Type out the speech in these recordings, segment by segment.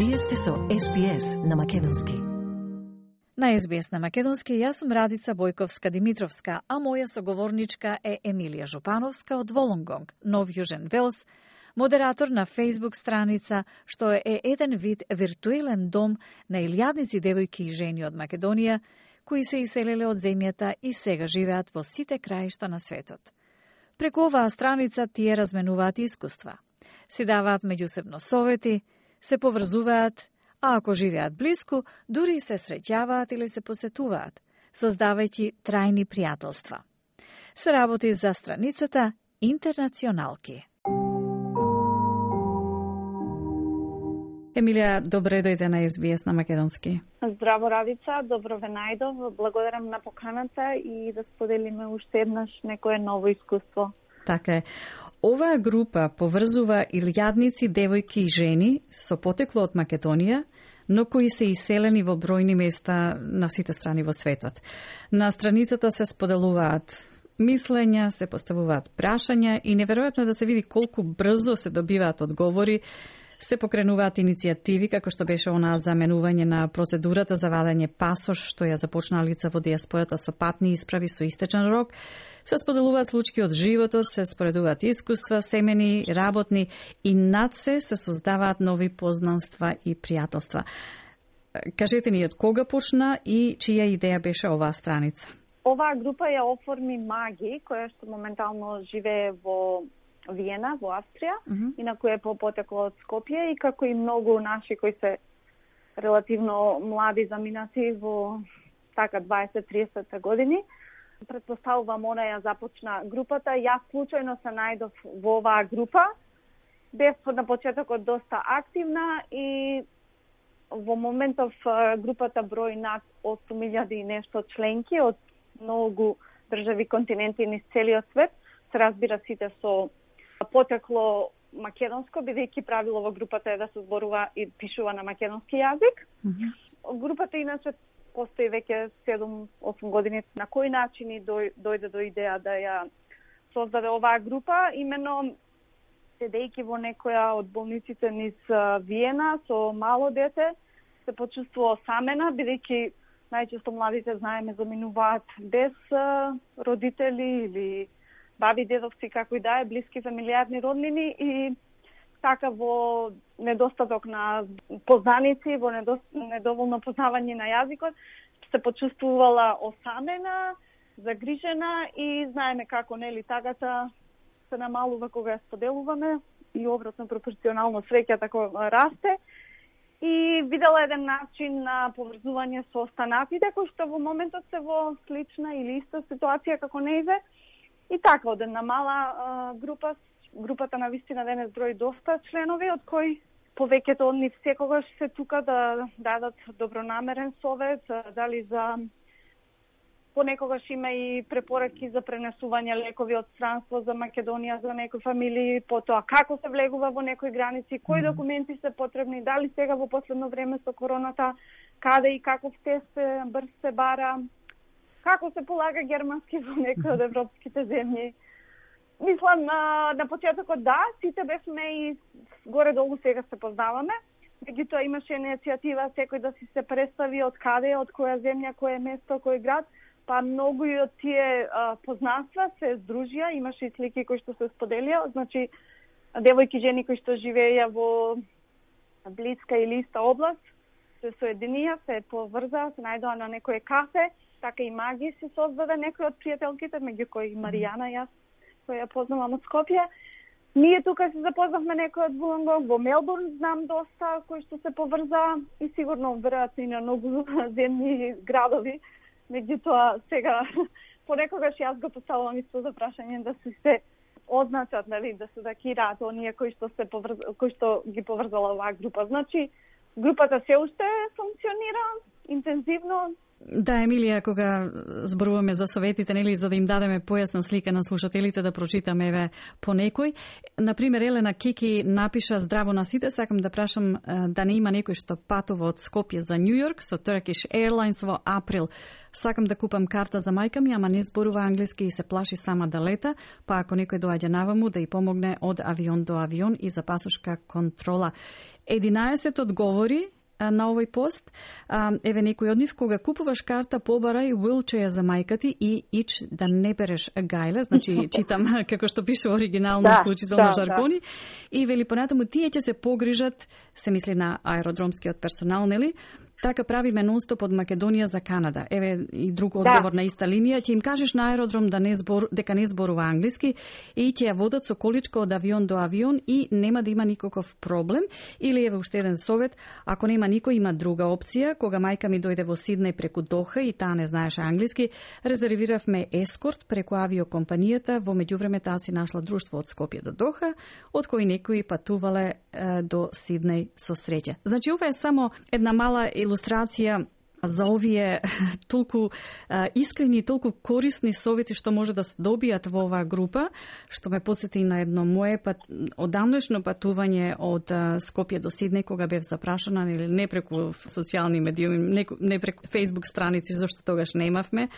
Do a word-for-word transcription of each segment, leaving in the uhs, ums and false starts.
Вие сте со Ес Би Ес на Македонски. На Ес Би Ес на Македонски, јас сум Радица Бојковска-Димитровска, а моја соговорничка е Емилија Жупановска од Волонгонг, Нов Јужен Велс, модератор на Facebook страница, што е еден вид виртуелен дом на илјадници девојки и жени од Македонија, кои се иселиле од земјата и сега живеат во сите краишта на светот. Преку оваа страница тие разменуваат искуства, си даваат меѓусебно совети, се поврзуваат, а ако живеат блиску, дури се среќаваат или се посетуваат, создавајќи трајни пријателства. Се работи за страницата Интернационалки. Емилија, добре дојде на Ес Би Ес на Македонски. Здраво, Радица, добро ве најдов. Благодарам на поканата и да споделиме уште еднаш некое ново искуство. Така е. Оваа група поврзува илјадници девојки и жени со потекло од Македонија, но кои се иселени во бројни места на сите страни во светот. На страницата се споделуваат мислења, се поставуваат прашања и неверојатно е да се види колку брзо се добиваат одговори. Се покренуваат иницијативи, како што беше онаа заменување на процедурата за вадење пасош, што ја започна лица во диаспората со патни исправи со истечен рок. Се споделуваат случаи од животот, се споредуваат искуства, семени, работни и над се се создаваат нови познанства и пријателства. Кажете ни од кога почна и чија идеја беше оваа страница? Оваа група ја оформи Маги, која што моментално живее во Виена, во Австрија, uh -huh. инаку е по потекло од Скопје и како и многу наши кои се релативно млади заминати во така дваесет до триесет години. Предпоставувам, она ја започна групата. Јас случајно се најдов во оваа група. Бев на почетокот доста активна и во моментов групата брои над осум илјади и нешто членки од многу држави, континенти низ целиот свет. Се разбира сите со потекло македонско, бидејќи правило во групата е да се зборува и пишува на македонски јазик. Mm -hmm. Групата иначе постои веќе седум-осум години. На кој начин и дојде до идеја да ја создаде оваа група, именно седејќи во некоја од болниците низ Виена со мало дете, се почувствува осамена, бидејќи најчесто младите, знаеме, заминуваат без родители или баби, дедовци, како и да е, блиски фамилијарни роднини и така во недостаток на познаници, во недоволно познавање на јазикот, се почувствувала осамена, загрижена и знаеме како, нели, тагата се намалува кога ја споделуваме и обратно пропорционално среќата кога расте. И видела еден начин на поврзување со останатите, кои што во моментот се во слична или иста ситуација како нејзе. И така, од една мала а, група, групата на вистина денес брои доста членови, од кои повеќето од нив секогаш се тука да дадат добронамерен совет, дали за понекогаш има и препораки за пренесување лекови од странство за Македонија, за некои фамилии, потоа како се влегува во некои граници, кои документи се потребни, дали сега во последно време со короната, каде и каков тест брз се бара, како се полага германски во некои од европските земји. Мислам, на, на почетокот да, сите бевме и горе-долу сега се познаваме. Меѓутоа имаше иницијатива секој да си се представи од каде, од која земја, кој место, кој град, па многу и од тие а, познанства се здружија, имаше и слики кои што се споделија, значи девојки, жени кои што живееја во блиска или иста област, се соединија, се поврзаа, се најдоа на некој кафе. Така и Маги се создаде некој од пријателките, меѓу кои Маријана, јас, која ја познавам од Скопје. Ние тука се запознавме некој од Волонгонг, во Мелбурн знам доста, кои што се поврзаа и сигурно веројатно и на многу земји градови. Меѓутоа сега понекогаш јас го поставувам исто за прашање да се се означат, нели, да се дакираат оние кои што се поврз... кои што ги поврзала оваа група. Значи групата се уште функционира интензивно. Да, Емилија, кога зборуваме за советите, нели, за да им дадеме појасна слика на слушателите, да прочитаме еве по некој. Например, Елена Кики напиша: здраво на сите, сакам да прашам да не има некој што патува од Скопје за Њу Јорк со Turkish Airlines во април. Сакам да купам карта за мајка ми, ама не зборува англиски и се плаши сама да лета, па ако некој доаѓа наваму да ја помогне од авион до авион и за пасошка контрола. единаесет одговори на овој пост. Еве некој од нив: кога купуваш карта, побарај wheelchair за мајка ти и ич да не береш гајле, значи читам како што пише оригинално да, вклучително да, жаргони. Да. И вели понатаму тие ќе се погрижат, се мисли на аеродромскиот персонал, нели? Така правиме нонстоп од Македонија за Канада. Еве и друг одговор да. На иста линија. Ќе им кажеш на аеродром да не збор, дека не зборува англиски и ќе ја водат со количка од авион до авион и нема да има никаков проблем. Или еве уште еден совет: ако нема никој, има друга опција. Кога мајка ми дојде во Сиднеј преку Доха и таа не знаеше англиски, резервиравме ескорт преку авиокомпанијата. Во меѓувреме таа си нашла друштво од Скопје до Доха, од кои некои патувале е, до Сиднеј со среќа. Значи ова е само една мала илустрација за овие толку а, искрени и толку корисни совети што може да се добијат во оваа група, што ме потсети на едно мое пат, одамнешно патување од а, Скопје до Сиднеј, кога бев запрашана, или не преку социјални медиуми, не, не преку Facebook страници, зашто тогаш немавме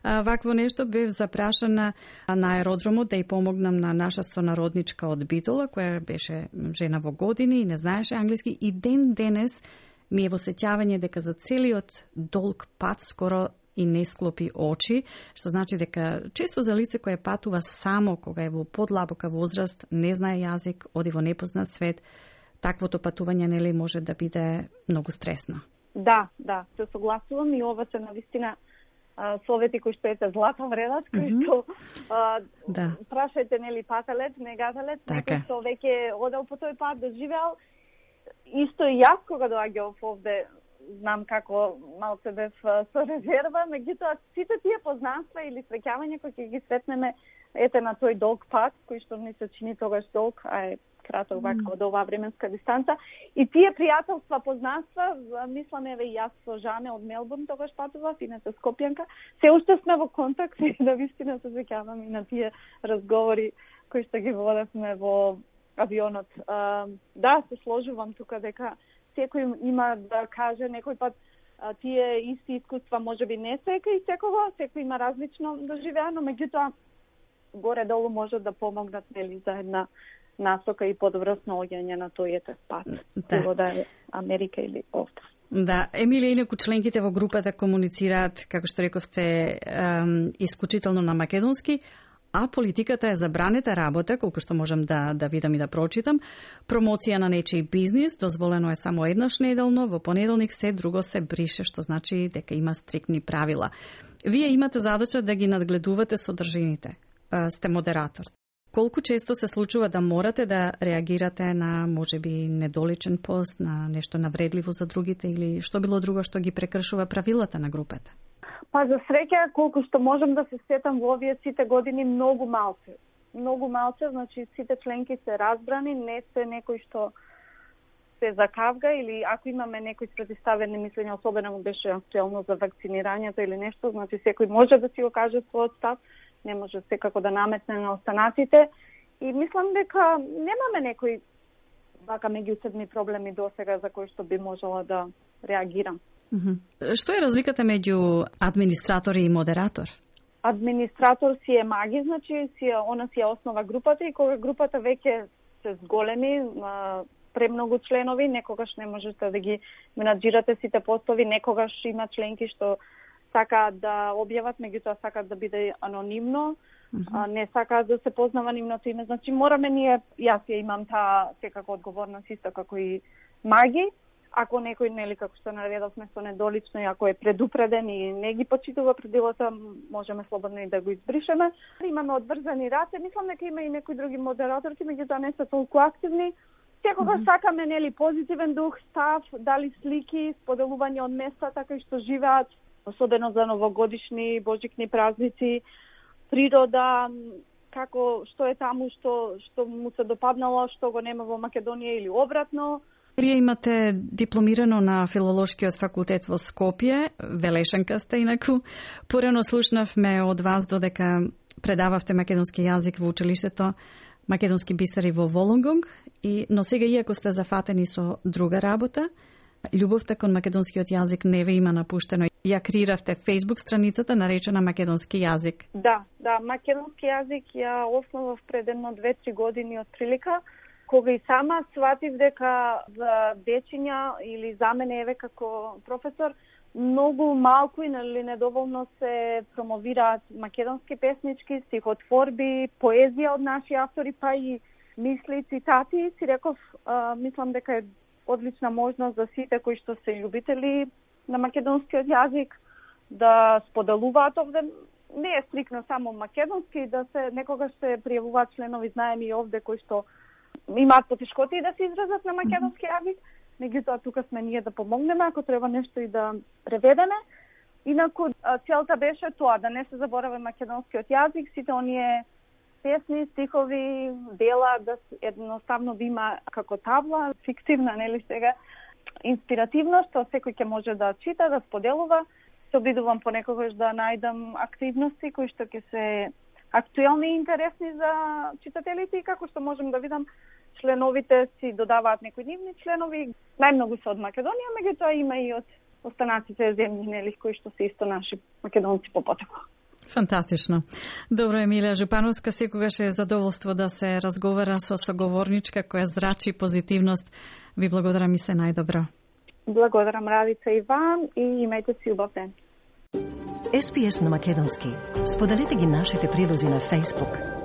а, вакво нешто. Бев запрашана на аеродромот да ја помогнам на наша сонародничка од Битола, која беше жена во години и не знаеше англиски, и ден денес ми е во сеќавање дека за целиот долг пат скоро и не склопи очи, што значи дека често за лице кое патува само кога е во подлабока возраст, не знае јазик, оди во непознат свет, таквото патување нели може да биде многу стресно. Да, да, се согласувам и ова се навистина совети кои што ете злата вредат, кои mm-hmm. што а, да. Прашајте нели пателет, не гадалет, така. Некој што веќе одел по тој пат, доживеал. Исто и јас кога доаѓав овде, знам како малце бев со резерва, меѓутоа сите тие познанства или среќавања кои ќе ги сретнеме ете на тој долг пат, кој што ни се чини тогаш долг, а е краток вака mm. од оваа временска дистанца, и тие пријателства, познанства, мислам еве и јас со Жане од Мелбурн тогаш патував, иначе Скопјанка, се уште сме во контакт и да вистина се сеќавам и на тие разговори кои што ги водевме во авионот. А, да, се сложувам тука дека секој има да каже некој пат а, тие исти искуства можеби не секој секого, секој има различно доживеано, меѓутоа горе-долу може да помогнат нели за една насока и подобро снаоѓање на тој пат, било да е Америка или овде. Да, Емилија, инаку членките во групата комуницираат, како што рековте, исклучително на македонски, а политиката е забранета работа, колку што можам да, да видам и да прочитам. Промоција на нечиј бизнис дозволено е само еднаш неделно, во понеделник се друго се брише, што значи дека има стриктни правила. Вие имате задача да ги надгледувате содржините. Сте модератор. Колку често се случува да морате да реагирате на можеби недоличен пост, на нешто навредливо за другите или што било друго што ги прекршува правилата на групата? Па за среќа, колку што можам да се сетам во овие сите години, многу малце. Многу малце, значи сите членки се разбрани, не се некој што се закавга или ако имаме некои спротивставени мислења, особено беше актуелно за вакцинирањето или нешто, значи секој може да си го каже својот став, не може секако да наметне на останатите. И мислам дека немаме некои вака меѓусебни проблеми досега за кои што би можела да реагирам. Mm-hmm. Што е разликата меѓу администратор и модератор? Администратор си е маги, значи си е, она си е основа групата и кога групата веќе се зголеми, премногу членови, некогаш не можете да ги менаџирате сите постови, некогаш има членки што сакаат да објават, меѓутоа сакаат да биде анонимно, mm-hmm. а, не сакаат да се познава нивното име. Значи мораме ние, јас ја имам таа секако одговорност исто како и маги. Ако некој, нели, како што наведовме со недолично, и ако е предупреден и не ги почитува правилата, можеме слободно и да го избришеме. Имаме одврзани раце, мислам дека има и некои други модераторки, меѓутоа не се толку активни. Секогаш mm-hmm. сакаме, нели, позитивен дух, став, дали слики, споделување од местата кои што живеат, особено за новогодишни, божикни празници, природа, како што е таму, што што му се допаднало, што го нема во Македонија или обратно. Вие имате дипломирано на Филолошкиот факултет во Скопје, велешанка сте инаку. Порано слушнавме од вас додека предававте македонски јазик во училиштето Македонски бисери во Волонгонг, и но сега иако сте зафатени со друга работа, љубовта кон македонскиот јазик не ве има напуштено. Ја креиравте Facebook страницата наречена Македонски јазик. Да, да, македонски јазик ја основав пред едно две-три години од прилика. кога и сама сватив дека за дечиња или за мене еве како професор многу малку или недоволно се промовираат македонски песнички, стихотворби, поезија од наши автори, па и мисли, цитати. Си реков, а, мислам дека е одлична можност за сите кои што се љубители на македонскиот јазик да споделуваат овде. Не е стрикно само македонски, да се некогаш се пријавуваат членови, знаеме и овде кои што имаат потешкоти да се изразат на македонски јазик. Меѓутоа тука сме ние да помогнеме, ако треба нешто и да преведеме. Инаку целта беше тоа, да не се заборави македонскиот јазик, сите оние песни, стихови, дела, да едноставно да има како табла, фиктивна, нели сега, инспиративност, што секој ќе може да чита, да споделува. Се обидувам понекогаш да најдам активности кои што ќе се актуелни и интересни за читателите и како што можем да видам, членовите си додаваат некои нивни членови. Најмногу се од Македонија, меѓутоа има и од останатите земји, нели, кои што се исто наши македонци по потекло. Фантастично. Добро, Емилија Жупановска, секогаш е задоволство да се разговара со соговорничка која зрачи позитивност. Ви благодарам и се најдобро. Благодарам, Радица, и вам, и имајте си убав ден. Ес Би Ес на македонски. Споделете ги нашите прилози на Facebook.